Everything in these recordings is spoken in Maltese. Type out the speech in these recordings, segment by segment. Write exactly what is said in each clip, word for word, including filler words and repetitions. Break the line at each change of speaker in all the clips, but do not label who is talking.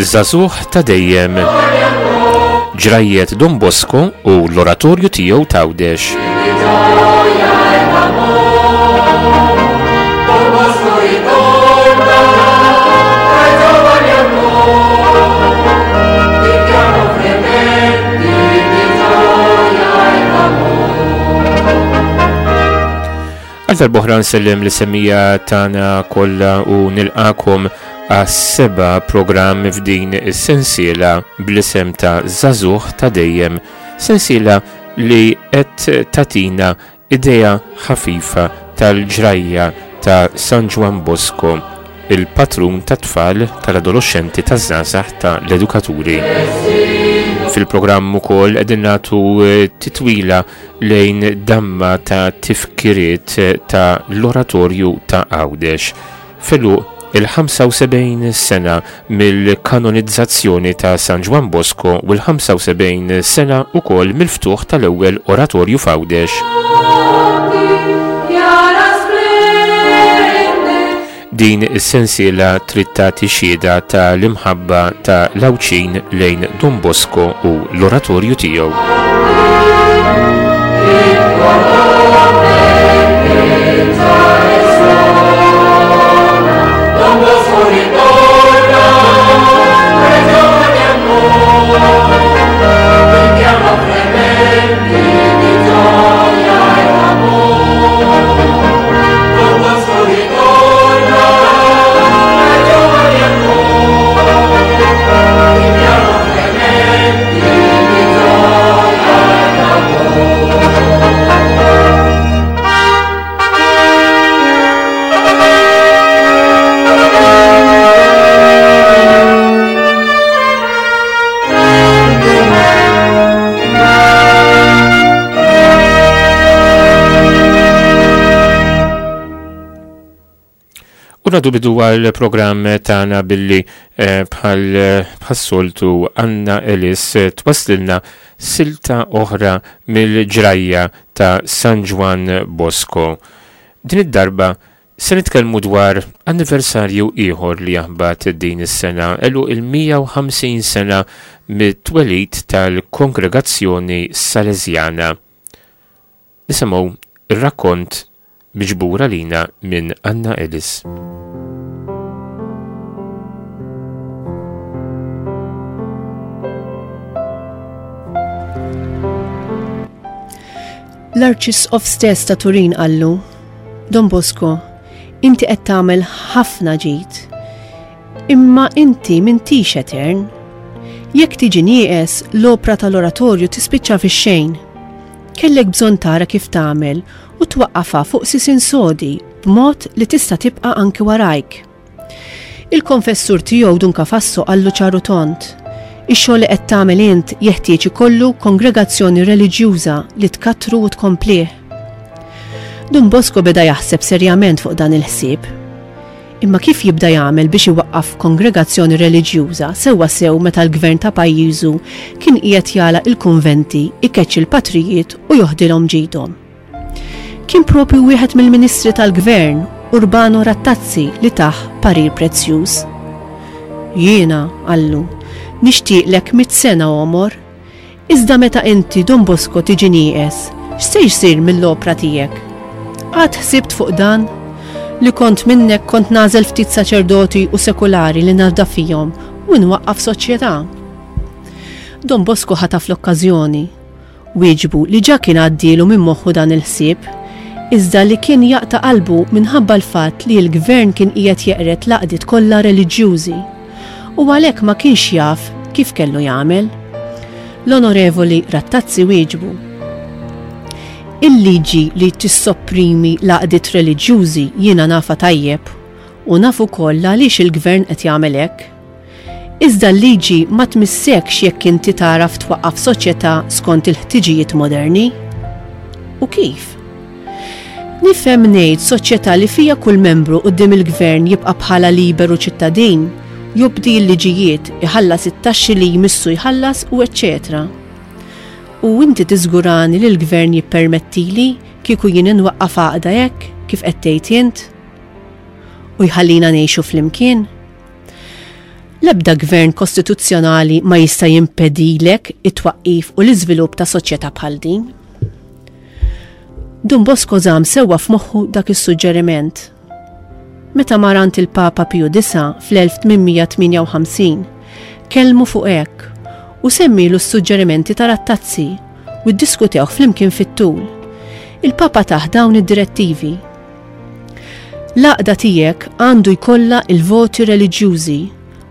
Żagħżugħ ta' dejjem. Ġrajjet Don Bosco u l-oratorju tiegħu t'Għawdex. Għal darb'oħra nsellem lis-semmiegħa tagħna kollha u nilqakom għas-seba' programm f'din is-sensiela bl-isem ta' Żagħżugħ ta' dejjem, sensiela li qed tatina idea ħafifa tal-ġrajja ta' San Ġwann Bosco, il-patrun tat-tfal, tal-adolescenti, taż-żgħażagħ, tal-edukaturi. Fil-programm ukoll qegħdin nagħtu titwila lejn damma ta' tifkiriet ta' l-oratorju ta' Għawdex. Felu il-ħamsa u sebgħin sena mill-kanonizzazzjoni ta' San Ġwann Bosco u l-ħamsa u sebgħin sena ukoll mill-ftuħ tal-ewwel oratorju f'Għawdex. Din is-sensiela trid tagħti xhieda ta' l-imħabba ta' l-Għawdxin lejn Don Bosco u l-oratorju tiegħu. Nadu bidu għal-programm tagħna billi bħal bħas-soltu Anna Ellis twaslilna silta oħra mill-ġrajja ta' San Ġwann Bosco. Din id-darba se nitkellmu dwar anniversarju ieħor li jaħbat din is-sena, elu il-mija u ħamsin sena mit-twelid tal-Kongregazzjoni Salesjana. Nisimgħu ir-rakkont miġbura lina minn Anna Ellis.
L-Arċisqof stess ta' Turin qallu, Don Bosco, inti qed tagħmel ħafna ġid, imma inti m'intix etern. Jekk tiġi nieqes, l-opra tal-oratorju tispiċċa fix-xejn. Kellek bżonn tara kif tagħmel u twaqqafha fuq sisin sodi b'mod li tista' tibqa' anki warajk. Il-konfessur tiegħu Dun Cafasso qallu ċaru tont, ix-xogħol li qed tagħmel int jeħtieġ ikollu kongregazzjoni reliġjuża li tkattru u tkomplih. Dun Bosco beda jaħseb serjament fuq dan il-ħsieb. Imma kif jibda jagħmel biex iwaqqaf kongregazzjoni reliġjuża sewwa sew meta l-gvern ta' pajjiżu kien qiegħed jagħlaq il-kunventi, ikeċċi l-patrijiet u joħdilhom ġidhom. Kien propju wieħed mill-ministri tal-gvern, Urbano Rattazzi, li tah parir prezzjuż. Jiena, qallu, nixtieqlek mitt sena għomor, iżda meta inti Don Bosco tiġi nieqes, x'se jsir mill-opra tiegħek? Qatt ħsibt fuq dan? Li kont minnek kont nażel ftit saċerdoti u sekulari li nafda fihom u nwaqqaf soċjetà. Don Bosco ħataf l-okkażjoni. Wieġbu li ġa kien għaddielu minn moħħu dan il-ħsieb, iżda li kien jaqta' qalbu minħabba l-fatt li l-gvern kien qiegħed jeqred l-għaqdiet kollha reliġjużi u għalhekk ma kienx jaf kif kellu jagħmel. L-Onorevoli Rattazzi wieġbu, Il-liġi li tissopprimi l-għaqdiet reliġjużi jiena nafa tajjeb u naf ukoll għaliex il-gvern qed jagħmel hekk. Iżda l-liġi ma tmissekx jekk inti tagħraf twaqqaf soċjetà skont il-ħtiġijiet moderni. U kif? Nifhem ngħid soċjetà li fija kull membru quddiem il-gvern jibqa' bħala liberu ċittadin, jobdi l-liġijiet, iħallas it-taxxi li jmissu jħallas u eċċetera. U inti tiżgurani li l-gvern jippermettili kieku jien inwaqqaf għaqda hekk kif qed tgħid int? U jħallina ngħixu flimkien? L-ebda gvern kostituzzjonali ma jista' jimpedilek it-twaqqif u l-iżvilupp ta' soċjetà bħal din. Dun Bosco żamm sewwa f'moħħu dak is-suġġeriment. Meta mar għand il-Papa Piju Disa' fl-elf tmien mija tmienja u ħamsin, kellmu fuq hekk u semmilu s-suġġerimenti ta' Rattazzi u ddiskutewh flimkien fit-tul. Il-Papa tah dawn id-direttivi. L-għaqda tiegħek għandu jkollha il-voti reliġjużi,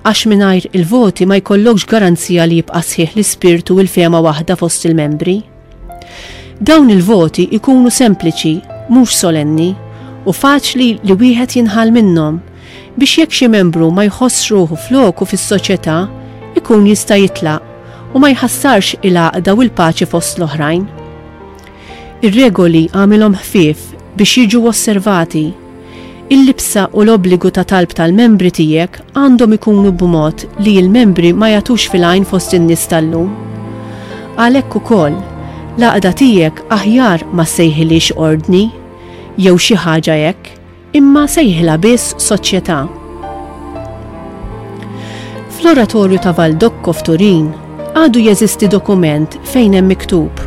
għax mingħajr il-voti ma jkollokx garanzija li jibqa' sħiħ l-ispirtu u l-fehma waħda fost il-membri. Dawn il-voti ikunu sempliċi, mhux solenni, u faċli li wieħed jinħall minnhom, biex jekk xi membru ma jħossx ruħu floku fis-soċjetà, ikun jista' jitlaq u ma jħassarx il-għaqda u l-paċi fost l-oħrajn. Ir-regoli għamilhom ħfief biex jiġu osservati. Il-libsa u l-obbligu ta' talb tal-membri tiegħek għandhom ikunu b'mod li l-membri ma jagħtux fil-għajn fost in-nies tal-lum. Għalhekk ukoll, l-għaqda tiegħek aħjar ma ssejħilix ordni jew xi ħaġa hekk, imma sejħilha biss soċjetà. Fl-oratorju ta' Valdocco f'Turin għadu jeżisti dokument fejn hemm miktub.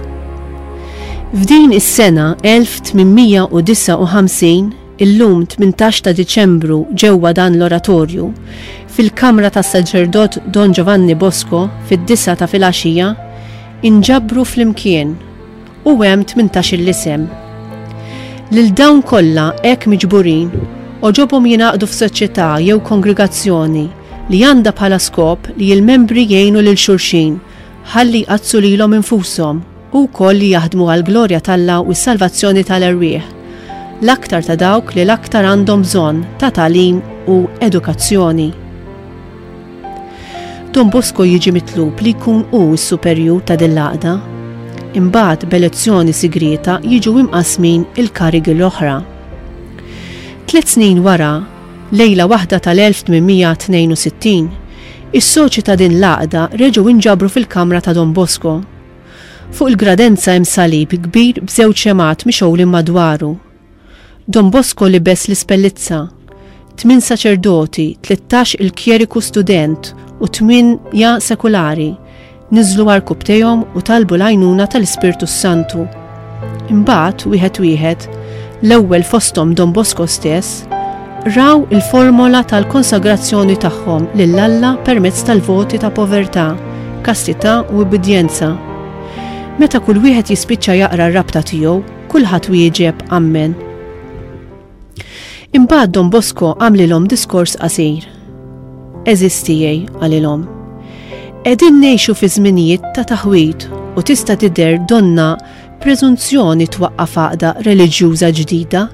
F'din is-sena elf tmien mija u disgħa u ħamsin, illum tmintax ta' Diċembru ġewwa dan l-oratorju, fil-kamra tas-saċerdot Don Giovanni Bosco fid-disgħa ta' filgħaxija, inġabru flimkien u hemm tmintax il-isem. Lil dawn kollha hekk miġburin oġobhom jingħaqdu f'soċjetà jew kongregazzjoni li għandha bħala skop li l-membri jgħinu lil xulxin ħalli jqaddsu lilhom infushom u wkoll li jaħdmu għall-glorja t'Alla u s-salvazzjoni tal-erwieħ, l-aktar ta' dawk li l-aktar għandhom bżonn ta' tagħlim u edukazzjoni. Don Bosco jiġi mitlub li jkun hu s-superjur ta' din l-għaqda. Imbagħad b'elezzjoni sigrieta jiġu imqasmin il-karigi l-oħra. Tliet snin wara, lejla waħda tal-elf tmien mija tnejn u sittin, is-soċi ta' din l-għaqda reġgħu inġabru fil-kamra ta' Don Bosco. Fuq il-gradenza hemm salib kbir b'żewġ xemgħat mixgħulin madwaru. Don Bosco libes l-ispellizza, tmien saċerdoti, tlettax il-kjeriku student u tmienja sekulari niżlu għarkupptejhom u talbu l-għajnuna tal-Ispirtu Santu. Imbagħad wieħed wieħed, l-ewwel fosthom Don Bosco stess, raw il-formola tal-konsagrazzjoni tagħhom lil Alla permezz tal-voti ta' povertà, kastità u ubbidjenza. Meta kull wieħed jispiċċa jaqra r-rabta tiegħu, kulħadd wieġeb ammen. Imbagħad Don Bosco għamlilhom diskors qasir. Għeżież tiegħi, qalilhom. Qegħdin ngħixu fi żminijiet ta' taħwid u tista' tidher donna preżunzjoni twaqqaf għaqda reliġjuża ġdida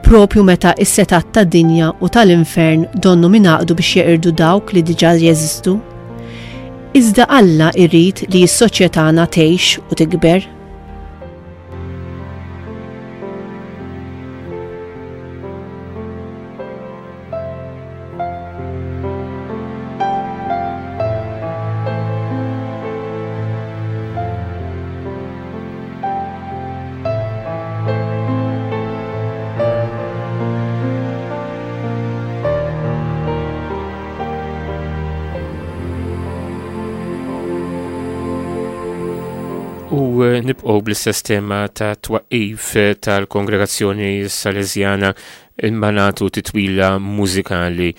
propju meta s-setat tad-dinja u tal-infern donnu mingħaqdu biex jeqirdu dawk li diġà jeżistu. Iżda Alla jrid li s-soċjetà tgħix u tikber.
U nibqgħu bl-istess tema ta' twaqqif tal-Kongregazzjoni Salesjana imma nagħtu titwila mużikali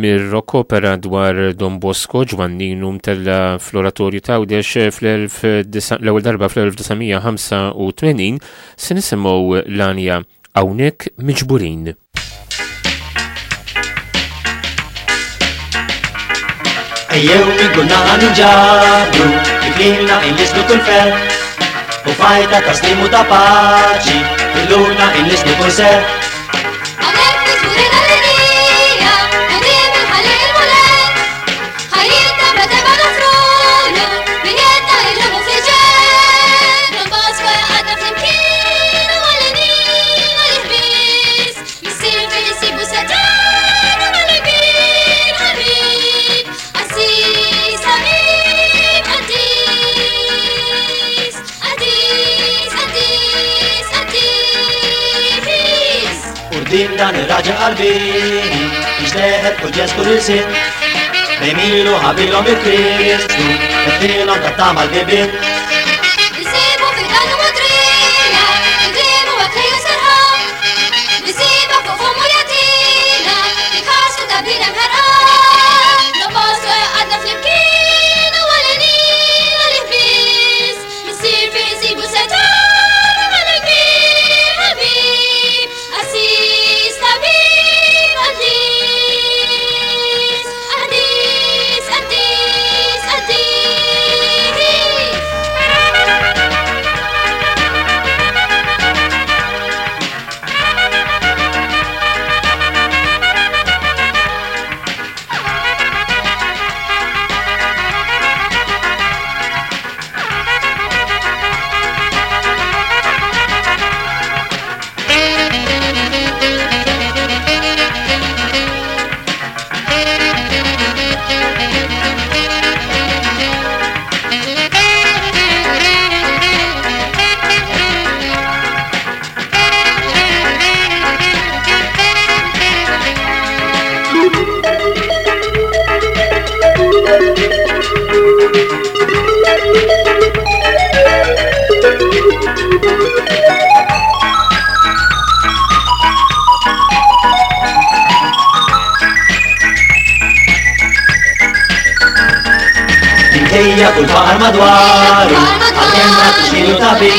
mir-rock opera dwar Don Bosco Ġwanninu mtella fl-Oratorju t'Għawdex fl-elf disa-, l-ewwel darba fl-elf disa' mija ħamsa u tmenin se nisimgħu l-għanja Hawnhekk Miġburin.
Ejjew minn kull naħa ninġabru, li klilna inlisnu kull ferħ, u fajta ta' slim u ta' paċi, illuna inlisnu kull serħ.
Hawnhekk miġburin għall-għalija, quddiem il-ħalli il-Mulej, ħajjitna bla tebgħa nofrulu, min jedna illum u fil-ġej. Don Bosco jaqgħadna flimkien u għall-għanin għalih biss, missier fejn insibu setgħan u mal-kbir ħabib, qassis ħabib qaddis, qaddis, qaddis, qaddis.
Quddiem dan ir-raġel qalbini, nixteħet kull ġest kull ilsien, Bejmilu ħabilhom il-Kristu, fetħilhom ta' tama l-bibien.
Nsibu fil-għannu modrija, nglimu għatlejju serħan. Nsiba fuq fommu jatina, nħarsu ta' bnidem ħerqan. Don Bosco għadna flimkien u għalenin għal-ħbiż. Missir fi nsibu setan u mal-kbir ħabib. Assis tabib qaddis, qaddis, qaddis, qaddis.
Minkejja kull faqar madwaru, għalkemm rat tixkilu tabib,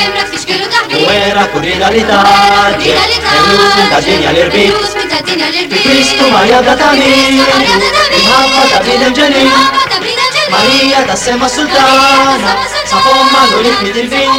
u wera kull rieda li taġġel, eluf minn ta' dinja l-irbit. Fi Kristu Marija bla tagħmir, imħabba ta' bniedem ġenwin, Marija tas-sema sultana, sa fomma l-ulied mitilfin.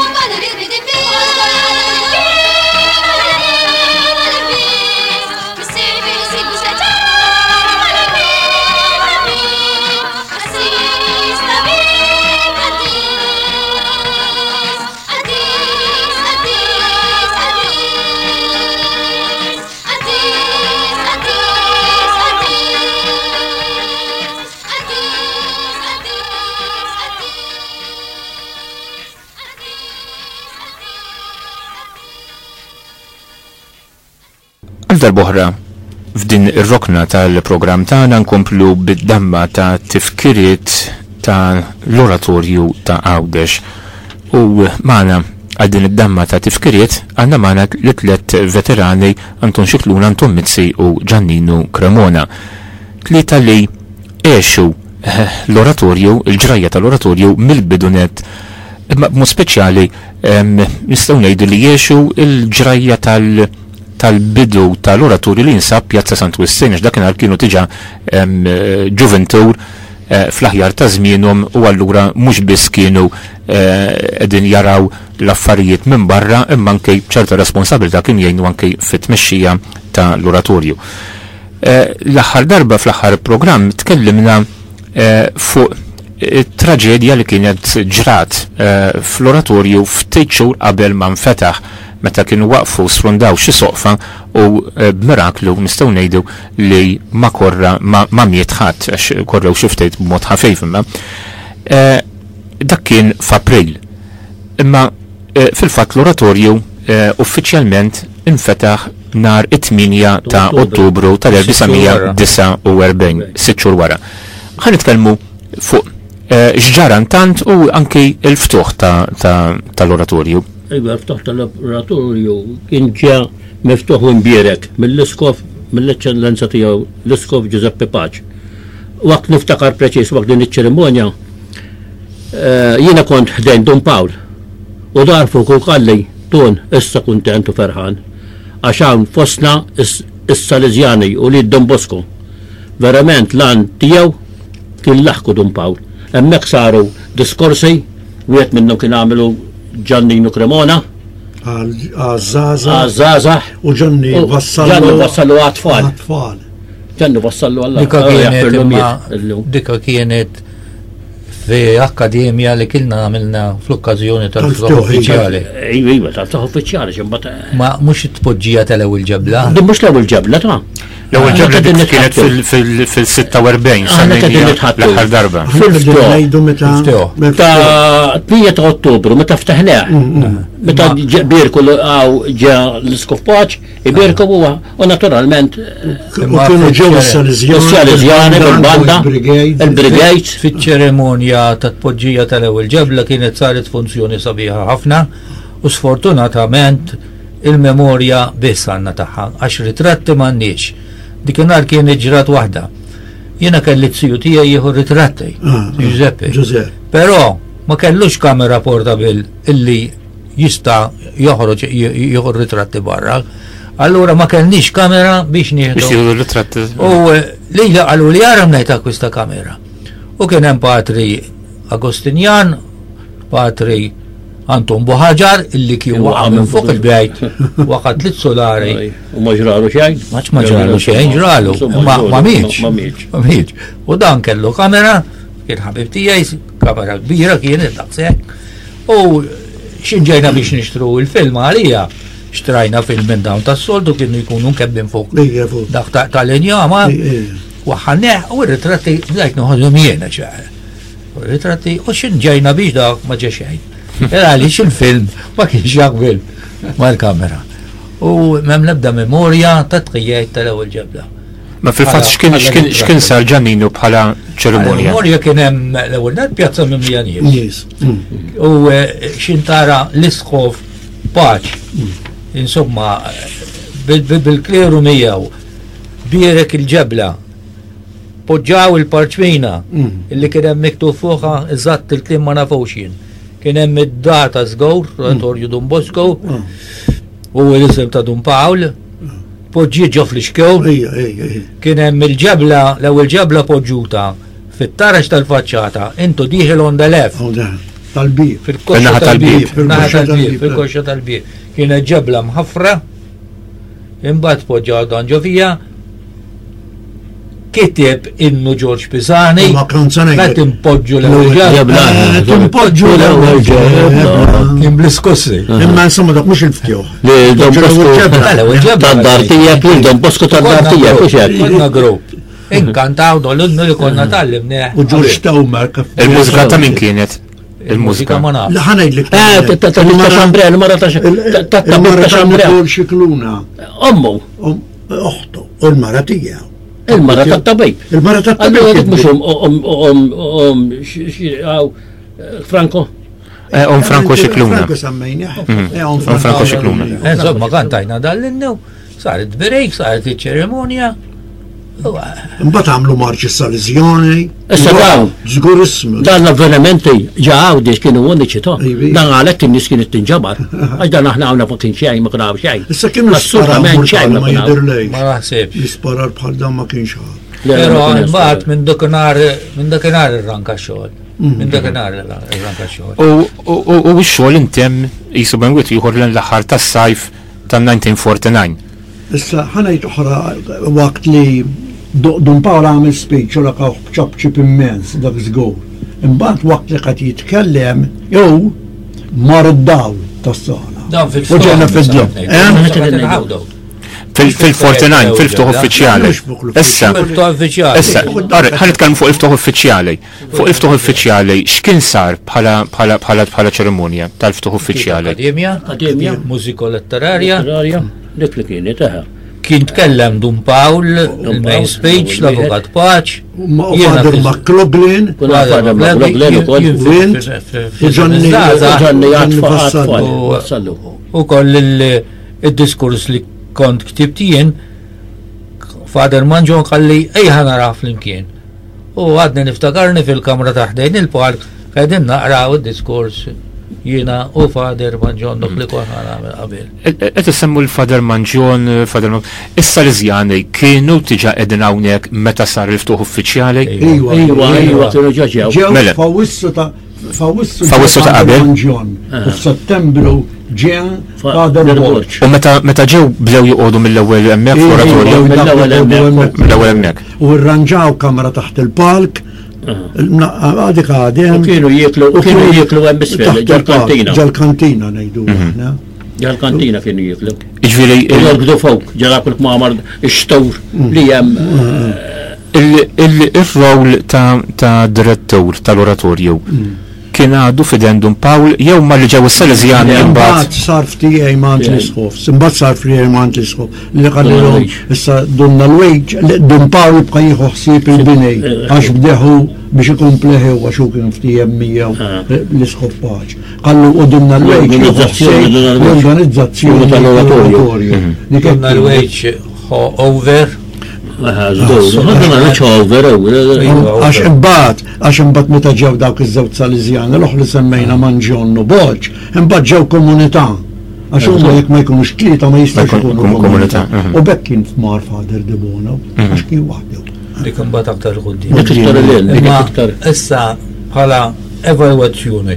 Għal darb'oħra f'din ir-rokna tal-programm tagħna nkomplu bid-damma ta' tifkiriet ta' l-oratorju ta' Għawdex. U magħna għal din id-damma ta' tifkiriet għandna magħna li tliet veterani Anton Scicluna, Anton Mizzi u Giannino Cremona. Tlieta li għexu, eh, l-oratorju, il-ġrajja tal-oratorju mill-bidunet, imma b'mod speċjali, ehm, nistgħu ngħidu li għexu il-ġrajja tal- tal-bidu tal-oratorju li jinsab Pjazza Sant Wistin, għax dakinhar kienu diġà, ehm, ġuventur, eh, fl-aħjar ta' żmienhom u allura mhux biss kienu, eh, qegħdin jaraw l-affarijiet minn barra, imma anke ċerta responsabilità kien jgħinu anke fit-tmexxija tal-oratorju. Eh, l-aħħar darba fl-aħħar programm tkellimna, eh, fuq it-traġedja li kienet ġrat, eh, fl-oratorju ftit xhur qabel ma nfetaħ, meta kienu waqfu sfrundaw xi soqfa u, eh, b'miraklu nistgħu ngħidu li ma korra, ma, ma miet ħadd, għax korrew xi ftit b'mod ħafif imma. Eh, dak kien f'April. Imma, eh, fil-fatt l-oratorju, eh, uffiċjalment infetaħ nhar it-tmienja ta' Ottubru tal-elf disa' u erbgħin, sitt xhur wara. Ħa nitkellmu fuq, eh, x'ġara intant u anki l-ftuħ ta', ta', tal-oratorju.
Iva, l-ftuħ tal-oratorju kien ġa miftuħ u mbierek mill-iskof, mill-eċċellenza tiegħu l-iskof Giuseppe Pace. Waqt niftakar preċiż waqt din iċ-ċerimonja, eh, jiena kont ħdejn Dun Pawl u dar fuq u qalli, Tun, issa kuntent u ferħan, għax hawn fostna is-, is-Salesjani u li Don Bosco. Verament lan tiegħu kien laħku Dun Pawl. Hemmhekk saru diskorsi, wieħed minnhom kien għamelu Giannino Cremona.
Għaż-żgħażagħ.
Għaż-żgħażagħ.
U Gianni
U
wassallu
Gianni wassallu għat-tfal.
Għat-tfal.
Gianni wassallu għall-
Dika
għal-
kienet
għal-
imma
għal- illum.
dika kienet fi akkademja li kilna għamilna fl-okkażjoni tal-ftuħ
Tal-ftuħ,
uffiċjali.
Iva, iva, tal-ftuħ uffiċjali, x'imbagħad
Ma mhux it-tpoġġija tal-ewwel ġebla.
Din mhux l-ewwel ġebla ta'.
L-ewwel ġabla kienet fil-sitta u erbgħin, l-aħħar darba.
Fil-ftuħ. Ta' tmienja ta' Ottubru, meta ftaħneh. Meta birku għaw ġa l-Iskof Paċ, ibirku huwa u naturalment.
U kienu ġew is-Salesjani
bil-banda, il-Brigade.
Fiċ-ċerimonja ta' tpoġġija tal-ewwel ġebla kienet saret funzjoni sabiħa ħafna u sfortunatament il-memorja biss għandna tagħha għax ritratti m'għandniex. Dikinhar kien ġrat waħda. Jiena kelli t-siju tiegħi jieħu ritratti, Giuseppe. Però ma kellux kamera portabil illi jista' joħroġ jieħu ritratti barra. Allura ma kellniex kamera biex nieħdu.
Biex jieħdu ritratti.
U lili qalu li ara mnejt akkwista kamera. U kien hemm Patri Agostinjan, Patri Anton Buħaġar illi kien waqa' minn fuq il-bejt, waqa' tliet solari.
U ma ġralu xejn?
Ma ġralu xejn, ġralu. Ma mietx. Ma mietx. U dan kellu kamera, kien ħabib tiegħi, kamera kbira kienet daqshekk. U xinġejna biex nixtru il-film għalija, xtrajna film minn dawn tas-soltu kienu jkunu nkebbin fuq dak tal-injama. Waħħaneh u r-ritratti bdejt noħodhom jiena ċar. U r-ritratti u xinġejna biex dak ma ġa xejn. Għaliex il-film ma kienx jaqbel mal-kamera. U m'hemm l-ebda memorja ta' tqijajt tal-ewwel ġebla.
Ma fil-fatt x'kien sar Ġanninu bħala ċerimonja?
Memorja kien hemm l-ewwel net pjazza mimlija nies. U xintara l-Isqof Paċ, insomma, bil-kleru miegħu bierek il-ġebla, poġġaw il-parċmina illi kien hemm miktub fuqha eżatt il-kliem ma nafux jien. Kien hemm id-data żgur, Oratorju Dun Bosco, u l-isem ta' Dun Pawl, poġġi ġo fl-ixkew. Kien hemm il-ġebla, l-ewwel ġebla poġġuta fit-taraġ tal-faċċata, intu dieħel on the left.
Tal-bib.
Fil-koxxa tal-bib. Fil-koxxa tal-bib. Kienet ġebla mħaffra, imbagħad poġġaw dan ġo fija, kiteb innu Ġorġ Pisani, meta timpoġġu l-ewwel ġebla.
Timpoġġu l-ewwel ġebla.
Kien bl-iskussi.
Imma insomma dak mhux il-ftjuħ.
Li Don Bosco tad-dar tiegħek, li Don Bosco tad-dar tiegħek, mhux hekk.
Konna grupp. Inkantaw dol-innu li konna tallimnieh.
U Ġorġ Tawmer.
Il-mużika ta' min kienet? Il-mużika.
Ma nafx.
La ħanejdlek.
Eh, ta' Xambrel, il-mara ta'
Il-mara ta' Xikluna.
Ommu.
Oħtu, u l-mara tiegħu.
Il-mara tat-tabib.
Il-mara tat-tabib.
Allura dik mhux om om om Franco.
Om Franco Xikluna.
Franco semmejnieh.
Om Franco Xikluna.
Insomma, kantajna dal-innu, saret break, saret iċ-ċerimonja.
Imbagħad għamlu marċi Salesjani.
Issa dawn.
Żgur ismu.
Dan l-avvenimenti ġa Għawdex kienu uniċi to. Dan għalhekk in-nies kienet tinġabar. Għax dan aħna hawnna fuq kien xejn ma kien hawn xejn.
Issa kienu
assolutament xejn
ma jidhirlejx.
Ma naħsibx.
Jisparar bħal dan ma kienx hawn.
Però imbagħad minn dakinhar minn dakinhar irranka x-xogħol. Minn dakinhar irranka x-xogħol.
U x-xogħol intemm qisu benwit ieħor l-aħħar tas-sajf tan-nineteen forty-nine.
Issa ħanajt oħra waqt li Dun Pawl għamel speech u laqgħu b'ċapċip immens dak żgur. Imbagħad waqt li qed jitkellem jew mar id-dawl tas-sala.
Dan fil-ftuħ.
U ġejna fid-dlam.
Fil-forty-nine, fil-ftuħ uffiċjali. Issa, issa, ħa nitkellmu fuq il-ftuħ uffiċjali. Fuq il-ftuħ uffiċjali, x'kien sar bħala bħala bħala bħala ċerimonja tal-ftuħ uffiċjali?
Akkademja,
Akkademja,
mużiko-letterarja.
Dik li kienet, eħe.
Kien tkellem Dun Pawl, il-main speech, l-Avukat Paċ.
Father McLaughlin,
Father McLaughlin ukoll.
U Gianni
Gianni
U koll il-diskors li kont ktibt jien, Father Manġon qalli ejja naraw flimkien. U għadni niftakarni fil-kamra ta' ħdejn il-park, qegħdin naqraw id-diskors jiena u Father Manġon dak li konna nagħmel qabel.
Qed issemmu l-Father Manġon, Father Manġon. Issa l-Iżjani kienu diġà qegħdin hawnhekk meta sar il-ftuħ uffiċjali?
Iva,
iva, iva, kienu ġa ġew.
Ġew f'Awwissu ta' f'Awwissu
F'Awwissu ta' qabel.
Manġon. U f'Settembru ġew Father Borg.
U meta meta ġew bdew joqogħdu mill-ewwel hemmhekk fl-oratorju?
Mill-ewwel hemmhekk.
Mill-ewwel hemmhekk.
U rranġaw kamra taħt il-palk. Għadik għadem.
U kienu jieklu, u kienu jieklu hemm isfel, ġol-kantina.
Ġol-kantina ngħidu aħna.
Ġal-kantina kienu jiklu.
Jiġifieri
Jorgdu fuq, ġara kull kmamar ix-xtur li hemm.
Il-rol ta' direttur tal-oratorju kien għadu f'idejn Dun Pawl jew ma li ġew is-Salesjani imbagħad.
Imbagħad sar ftijaj ma' l-isqof, imbagħad sar ftijaj ma' l-isqof li qalilhom issa Dun Alwejġ, Dun Pawl jibqa' jieħu ħsieb il-bini għax bdeħu biex ikompleħu għax hu kien ftiehem miegħu l-isqof Paċ. Qallu u Dun Alwejġ l-organizzazzjoni tal-oratorju.
Dun Alwejġ over.
Għax imbagħad, għax imbagħad meta ġew dawk iż-żewġ Salesjani l-oħra li semmejna Manġon u Boġ, imbagħad ġew komunità. Għax huma jekk ma jkunux tlieta ma jistgħux ikunu komunità. U bekk kien f'mar Father De Bono, għax kien waħdu.
Dik imbagħad aktar quddiem. Issa bħala evalwazzjoni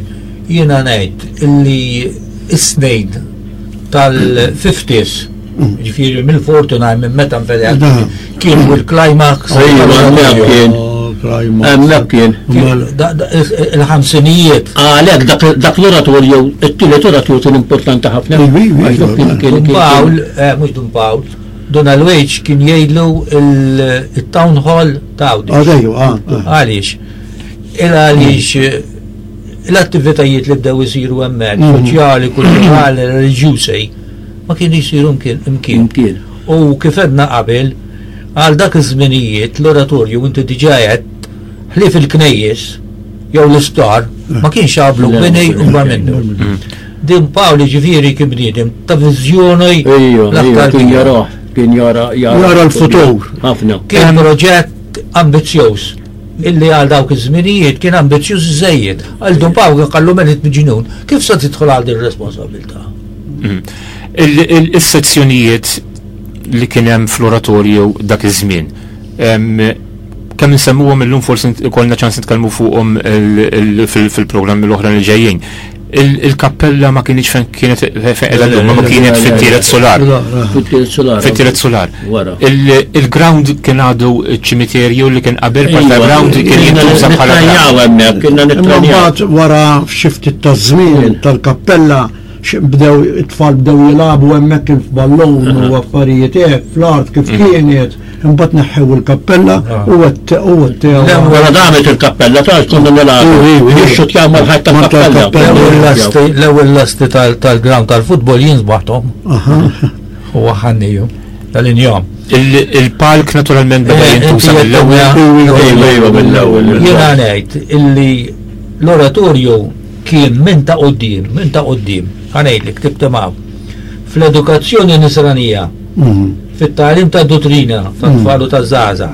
jiena ngħid illi is-snin tal-fifties, ġifieri mill-forty-nine minn meta nfedeħ kien il-climax.
Hemmhekk kien.
Il-ħamsinijiet.
Għalhekk dak l-oratorju, it-tielet oratorju kien importanti ħafna.
Dun Pawl, mhux Dun Pawl, Dun Alwejġ kien jgħidlu il-town hall ta' Għawdex. Għaliex? Il għaliex l-attivitajiet li bdew isiru hemmhekk, soċjali, kulturali, reliġjużi, ma kienu jisiru mkien. U kif għedna qabel, għal dak iż-żminijiet l-oratorju inti diġà għedt ħlief il-knejjes jew l-isptar ma kienx għablu bini u minnu. Dun Pawl ġifieri kien bniedem ta' viżjoni
l-aktar kien jara, kien jara
jara l-futur.
Ħafna.
Kien proġett ambizzjuż illi għal dawk iż-żminijiet kien ambizzjuż żejjed. Għal Dun Pawl qallu melit miġnun, kif se tidħol għal din ir-responsabilità?
Il-sezzjonijiet li kien hemm fl-oratorju dak iż-żmien, kemm insemmuhom illum forsi ikollna ċans nitkellmu fuqhom fil-programmi l-oħra li ġejjin. Il-kappella ma kienx fejn kienet fejn qiegħda llum, ma kienet fit-tielet solar. Fit-tielet solar. Il-ground kien għadu ċimiterju li kien qabel part ground kien jintuża bħala
ground. Kienna
nitrenjaw. Mbagħad wara xi ftit ta' żmien tal-kappella bdew it-tfal bdew jilagħbu hemmhekk il-ballun u affarijiet hekk fl-art kif kienet, imbagħad neħħew il-kappella u għattew.
Wara damet il-kappella ta' konna nilagħbu. Jixxutjaw mal-ħajt tal-kappella.
L-ewwel lasti tal-ground tal-futbol jien żbaħthom. U ħanniju tal-injom.
Il-palk naturalment beda jintuża mill-ewwel.
Iva mill-ewwel.
Jiena ngħid illi l-oratorju kien minn ta' quddiem, minn ta' quddiem, ħa ngħidlek tibtemaw. Fl-edukazzjoni nisranija, fit-tagħlim ta' dottrina tat-tfal u taż-żgħażagħ,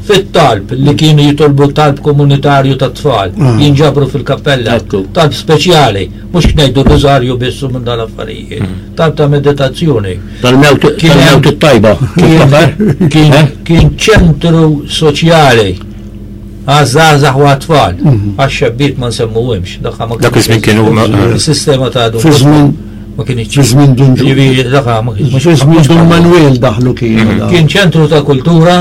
fit-talb li kienu jitolbu talb komunitarju tat-tfal, jinġabru fil-kappella, talb speċjali, mhux ngħidu rużarju biss minn dal-affarijiet, talb ta' meditazzjoni.
Tal-mewt it-tajba.
Kien ċentru soċjali għaż-żgħażagħ u għat-tfal, għax-xebbiet ma nsemmuhomx.
Dak iż-żmien kienu
is-sistema ta'
Fi żmien
ma kienx.
Fi żmien Dun
Ġifieri dak ma kienx.
Fi żmien Dun Manuel daħlu kienu.
Kien ċentru ta' kultura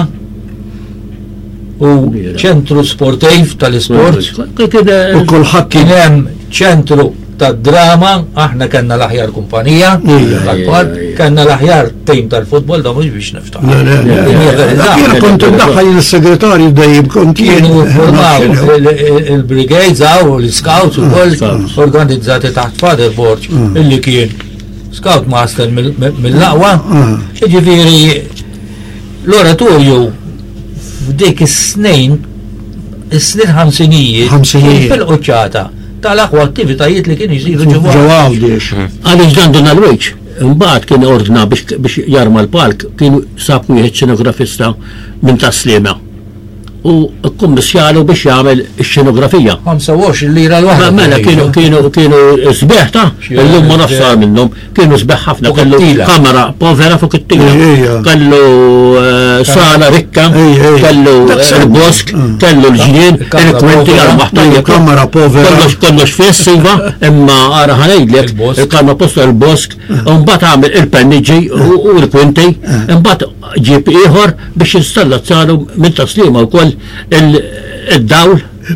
u ċentru sportiv tal-isport.
U kulħadd
kien hemm ċentru ta' drama, aħna kellna l-aħjar kumpanija tal-park, kellna l-aħjar team tal-futbol, da mhux biex niftaħ.
Jien kont iddaħħal jien is-segretarju dejjem kont jien.
Kienu formaw il-brigades hawn u l-scouts ukoll organizzati taħt Father Borg illi kien scout master mill-aqwa. Jiġifieri l-oratorju f'dik is-snin, is-snin ħamsinijiet, kien fil-quċċata tal-aqwa attivitajiet li kienu jsiru ġewwa
Għawdex.
Għaliex dan Dun Alwejġ, imbagħad kien ordna biex jarma l-palk, kien sab wieħed xenografista minn Tas-Sliema. U kkummissjalu biex jagħmel ix-xenografija.
ħamsa u għoxrin lira l-waħda.
Mela kienu kienu kienu sbeħ ta' illum ma nafx sar minnhom, kienu sbeħ ħafna, kellu kamera povera fuq it-tila, kellu sala rikka, kellu il-bosk, kellu l-ġnien, il-kwinti għal-maħtajja.
Kamera povera.
Kollox kollox fess iva, imma ara ħanejdlek, il-kamera posta il-bosk, u mbagħad għamel il-penniġi u l-kwinti, imbagħad ġib ieħor biex installa salu minn Tas-Sliema wkoll Il-dawl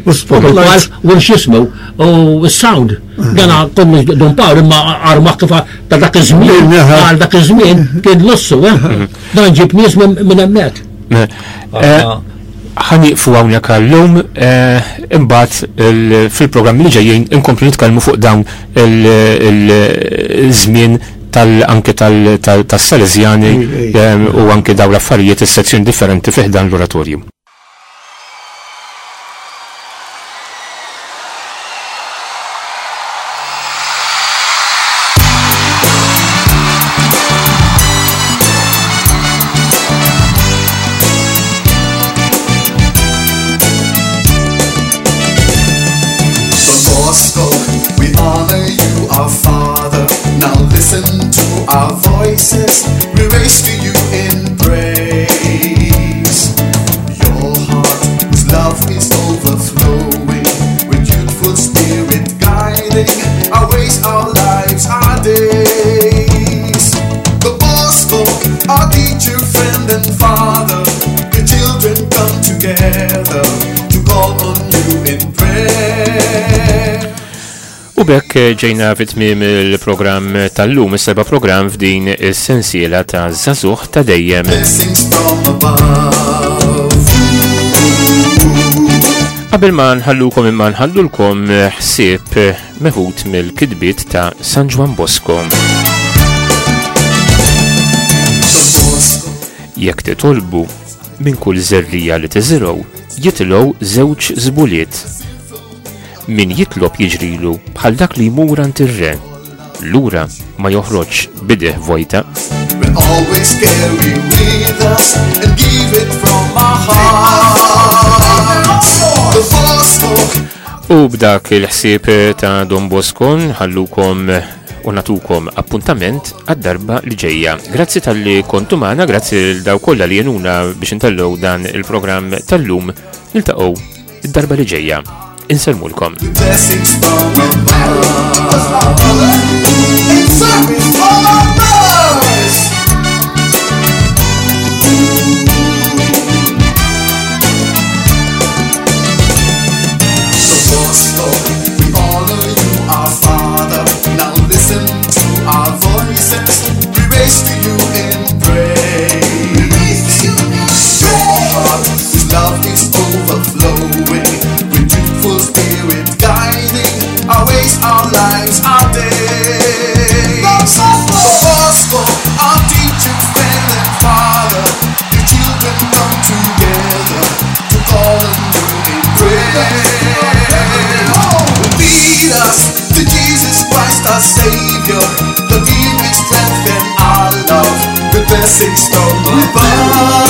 U spotlights.
U x'jismu u s-sound. Dana kollu Dun Pawl imma arma kif ta' dak iż-żmien, għal dak iż-żmien kien lussu, eh? Dan ġib nies minn hemmhekk.
Ħa nieqfu hawnhekk għallum, imbagħad fil-programm li ġejjin inkomplu nitkellmu fuq dawn il-żmien tal-anke tas-Salesjani u anke dawn l-affarijiet is-sezzjoni differenti fih dan l-oratorju.
Our voices we raise to you in praise. Your heart whose love is overflowing, with youthful spirit guiding our ways, our lives, our days. The Bosco, our teacher, friend and father, the children come together to call on you in prayer.
U bekk ġejna fit-tmiem il-programm tal-lum, is-seba' programm f'din is-sensiela ta' Żagħżugħ ta' Dejjem. Qabel ma nħallukom imma nħallulkom ħsieb meħud mill-kitbiet ta' San Ġwann Bosco. Jekk titolbu minn kull żerrija li tiżirgħu, jitilgħu żewġ żbuliet. Min jitlob jiġrilu bħal dak li jmur għand ir-re, lura ma joħroġ bideh vojta.
We'll always carry with us and give it from our hearts. The Bosco.
U b'dak il-ħsieb ta' Don Bosco nħallukom u natukom appuntament għad-darba li ġejja. Grazzi tal-li kontu magħna, grazzi l daw kollha li jenuna biex intellgħu dan il-programm tal-lum. Niltaqgħu id-darba li ġejja. Insellmulkom.
Blessings from above. In service for others. The Bosco, we honor you, our Father. Now listen to our voices. We raise to you in praise. Your heart, whose love is overflowing, with spirit guiding our ways, our lives, our days. The Bosco, our teacher, friend and father, the children come together to call on you in prayer. Lead us to Jesus Christ, our Savior, that He may strengthen our love with blessings from above.